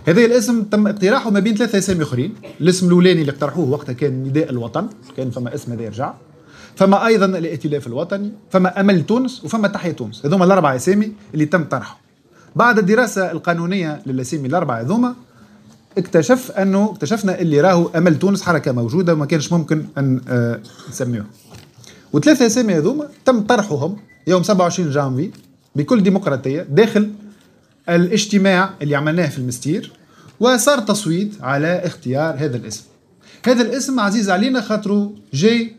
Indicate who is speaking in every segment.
Speaker 1: هذا الاسم تم اقتراحه ما بين ثلاثة اسامي اخرين. الاسم الاولاني اللي اقترحوه وقتها كان نداء الوطن، كان فما اسم هذا يرجع، فما ايضا الائتلاف الوطني، فما امل تونس، وفما تحيا تونس. هذوما الاربع اسامي اللي تم طرحهم. بعد الدراسة القانونية للاسامي الاربعة هذوما اكتشفنا اللي راهو امل تونس حركة موجودة وما كانش ممكن ان نسميوه. وثلاثة اسامي هذوما تم طرحهم يوم 27 جانفي بكل ديمقراطية داخل الاجتماع اللي عملناه في المستير، وصار تصويت على اختيار هذا الاسم. هذا الاسم عزيز علينا خاطره جاي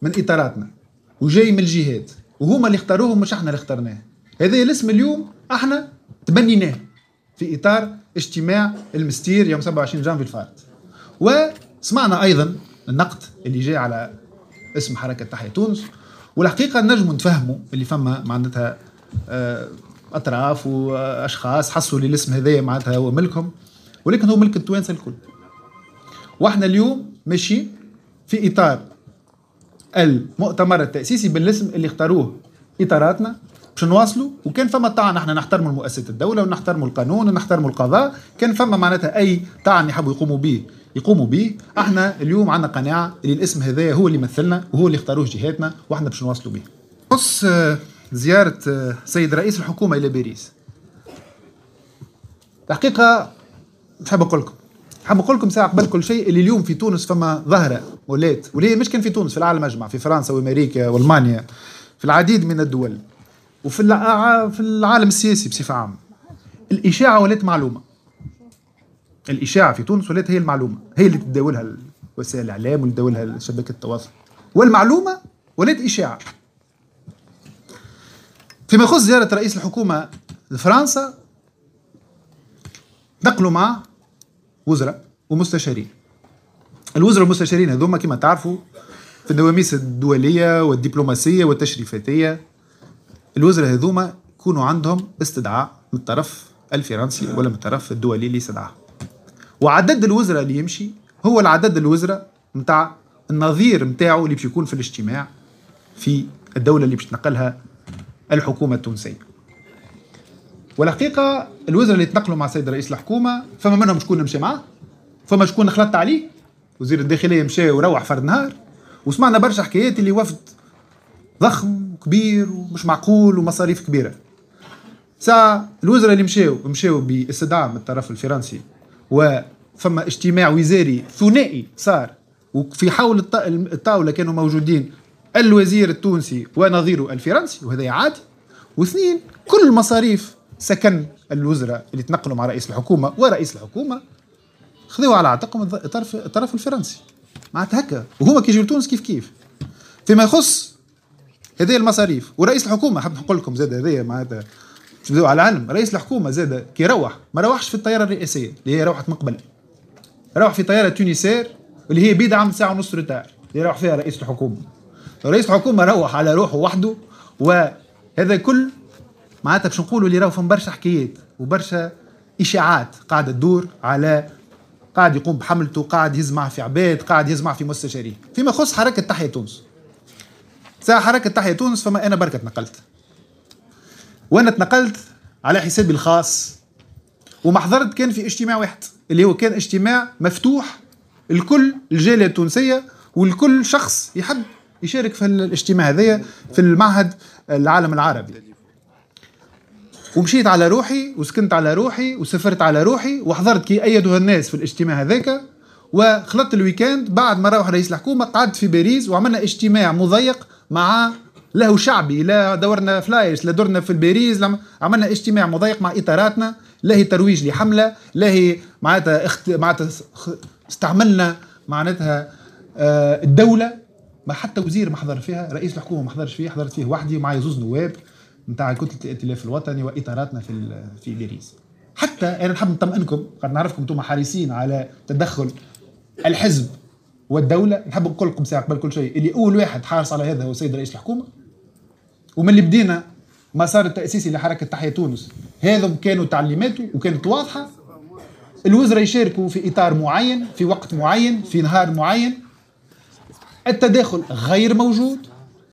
Speaker 1: من اطاراتنا وجاي من الجهات، وهما اللي اختاروه مش احنا اللي اخترناه. هذا الاسم اليوم احنا تبنيناه في اطار اجتماع المستير يوم 27 جانفي الفارط. وسمعنا ايضا النقد اللي جاي على اسم حركة تحيا تونس، والحقيقة نجموا نتفهموا اللي فما معناتها اطراف واشخاص حسوا اللي الاسم هذايا معناتها هو ملكهم، ولكن هو ملك التوانسة الكل. واحنا اليوم ماشيين في اطار المؤتمر التاسيسي بالاسم اللي اختاروه اطاراتنا باش نواصلوا. وكان فما طعن، احنا نحترموا مؤسسة الدولة ونحترموا القانون ونحترموا القضاء، كان فما معناتها اي طعن يحبوا يقوموا به يقوموا به. احنا اليوم عندنا قناعة اللي الاسم هذايا هو اللي يمثلنا وهو اللي اختاروه جهاتنا، واحنا باش نواصلوا به. خص زيارة سيد رئيس الحكومة الى باريس، الحقيقة نحب نقول لكم ساعة قبل كل شيء اللي اليوم في تونس فما ظاهره ولات، واللي مش كان في تونس، في العالم اجمع، في فرنسا وامريكا والمانيا، في العديد من الدول، وفي العالم السياسي بصفة عامة، الاشاعة ولات معلومة. الاشاعة في تونس ولات هي المعلومة، هي اللي تداولها وسائل الاعلام واللي تداولها شبكة التواصل، والمعلومه ولات اشاعة. فيما يخص زيارة رئيس الحكومة لفرنسا، نقلوا مع وزراء ومستشارين. الوزراء والمستشارين هذوما كما تعرفوا في النواميس الدولية والدبلوماسية والتشريفاتيه، الوزراء هذوما يكونوا عندهم استدعاء من الطرف الفرنسي ولا من الطرف الدولي اللي استدعاه. وعدد الوزراء اللي يمشي هو العدد الوزراء نتاع النظير نتاعو اللي باش يكون في الاجتماع في الدولة اللي باش تنقلها الحكومة التونسية. والحقيقة الوزراء اللي تنقلوا مع السيد رئيس الحكومة فما منهم شكون مشى معاه، فما شكون خلطت عليه، وزير الداخلية مشى وروح فرد نهار. وسمعنا برشا حكايات اللي وفد ضخم وكبير ومش معقول ومصاريف كبيرة. ساعة الوزراء اللي مشاو باستدعاء من الطرف الفرنسي، وفما اجتماع وزاري ثنائي صار، وفي حول الطاولة كانوا موجودين الوزير التونسي ونظيره الفرنسي، وهذا عادي. واثنين، كل مصاريف سكن الوزراء اللي تنقلوا مع رئيس الحكومة ورئيس الحكومة خذوها على عاتقهم الطرف الفرنسي، معناتها هكا. وهما كي يجيو لتونس كيف كيف. فيما يخص هذه المصاريف ورئيس الحكومة، حاب نقول لكم زاد هذايا معناتها تبداو على العلم، رئيس الحكومة زاد كي روح ما روحش في الطيارة الرئاسية اللي هي روحت من قبل، روح في طيارة Tunisair اللي هي بيدعم ساعة ونص retard اللي روح فيها رئيس الحكومة. رئيس الحكومة روح على روحه وحده، وهذا كل معناتها باش نقولوا اللي راهو فما برشا حكايات وبرشا اشاعات قاعدة تدور على قاعد يقوم بحملته، قاعد يزمع في عباد، قاعد يزمع في مستشارين. فيما يخص حركة تحيا تونس، ساعة حركة تحيا تونس فما انا بركة تنقلت، وانا تنقلت على حسابي الخاص، وما حضرت كان في اجتماع واحد اللي هو كان اجتماع مفتوح الكل الجالية التونسية والكل شخص يحب يشارك في الاجتماع هذايا في المعهد العالم العربي. ومشيت على روحي وسكنت على روحي وسافرت على روحي وحضرت كي أيدوا الناس في الاجتماع هذاك. وخلطت ال week-end بعد ما روح رئيس الحكومة قعدت في باريس وعملنا اجتماع مضيق مع له شعبي، لا دورنا flyers لا دورنا في الباريس، عملنا اجتماع مضيق مع إطاراتنا، لا هي ترويج لحملة، لا هي معناتها معناتها استعملنا معناتها الدولة، ما حتى وزير ما حضر فيها، رئيس الحكومة ما حضرش فيه، حضرت فيه وحدي ومعي زوز نواب نتاع كتلة الائتلاف الوطني وإطاراتنا في باريس. حتى انا نحب نطمئنكم، قد نعرفكم انتم حريصين على تدخل الحزب والدولة، نحب نقول لكم ساعة قبل كل شيء اللي اول واحد حارص على هذا هو السيد رئيس الحكومة. ومن اللي بدينا مسار التاسيسي لحركة تحيا تونس هذم كانوا تعليماته وكانت واضحة. الوزراء يشاركوا في اطار معين، في وقت معين، في نهار معين. التداخل غير موجود.